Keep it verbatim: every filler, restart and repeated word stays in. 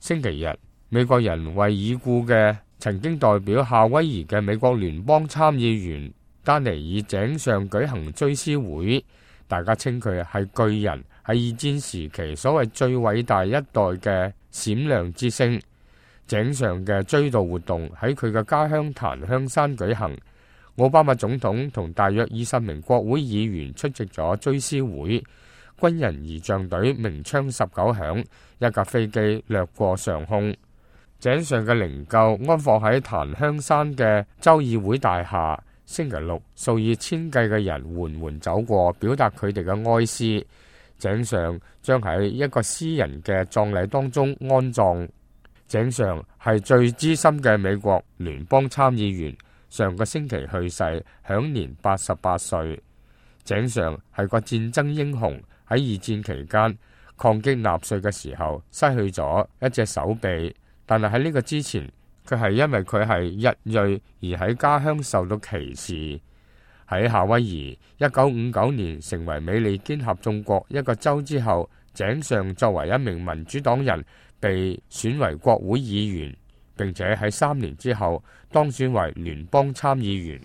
星期日，美國人為已故嘅曾經代表夏威夷嘅美國聯邦參議員丹尼爾井上舉行追思會，大家稱佢係巨人，係二戰時期所謂最偉大一代嘅閃亮之星。井上嘅追悼活動喺佢嘅家鄉檀香山舉行，奧巴馬總統同大約二十名國會議員出席咗追思會，軍人儀仗隊鳴槍十九響，一架飛機掠過上空。井上嘅靈柩安放喺檀香山嘅州議會大廈，星期六數以千計嘅人緩緩走過，表達佢哋嘅哀思。井上將喺一個私人嘅葬禮當中安葬。井上係最資深嘅美國聯邦參議員，上個星期去世，享年八十八歲。井上係個戰爭英雄，喺二戰期間抗擊納粹嘅時候失去咗一隻手臂，但係喺呢個之前，佢係因為佢係日裔而喺家鄉受到歧視。喺夏威夷一九五九年成為美利堅合眾國一個州之後，井上作為一名民主黨人被選為國會議員，並且喺三年之後當選為聯邦參議員。